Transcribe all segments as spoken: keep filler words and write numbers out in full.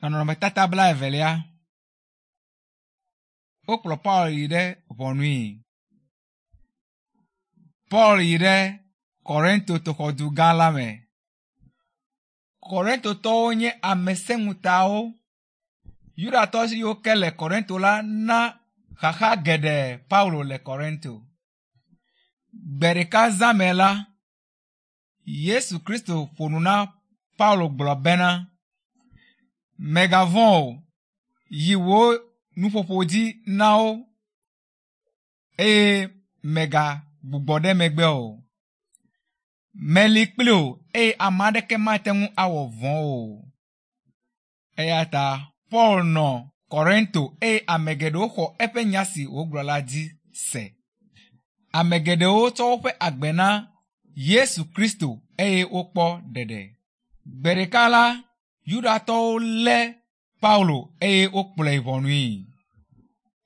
Nɔnɔmetata blaevelia. Wokplɔ Paul yi ɖe ʋɔnui. Paul yi ɖe Korinto toxɔdu gã la me. Korintotɔwo nye ame sẽŋutawo. Yudatɔ siwo ke le Korinto la na xaxa geɖe Paulo le Korinto. Gbe ɖeka zã me la, Yesu Kristo ƒo nu na Paulo gblɔ bena, Mègavɔ̃ o, yi wò nuƒoƒo dzi na wo eye mègagbugbɔ ɖe megbe o. Meli kpli wò eye ame aɖeke mate ŋu awɔ vɔ̃ o. Eya ta Paul nɔ Korinto eye ame geɖewo xɔ eƒe nya si wògblɔ la dzi se. Ame geɖewo tsɔ woƒe agbe na Yesu Kristo eye wokpɔ ɖeɖe. Gbe ɖeka la, Yudatɔwo lé Paulo eye wokplɔe yi ʋɔnui.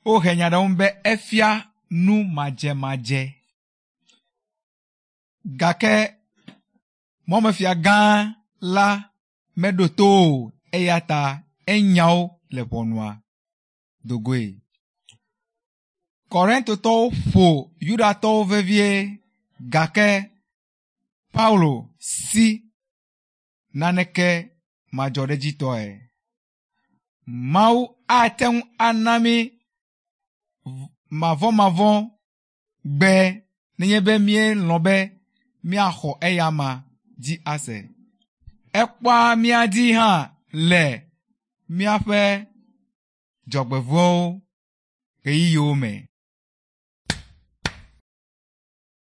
Wohe nya ɖe eŋu be efia nu madzemadze. Gake mɔmefia gã la meɖo to o eya ta enya wo le ʋɔnua do goe. Korintotɔwo ƒo Yudatɔwo vevie gake Paulo si naneke madzɔɖedzitɔe. Mawu ate ŋu ana mí mavɔmavɔ gbe nenye be míelɔ̃ be míaxɔ eyama dzi ase. Ekpɔa mía dzi hã le míaƒe dzɔgbevɔ̃ewo ɣeyiɣiwo me.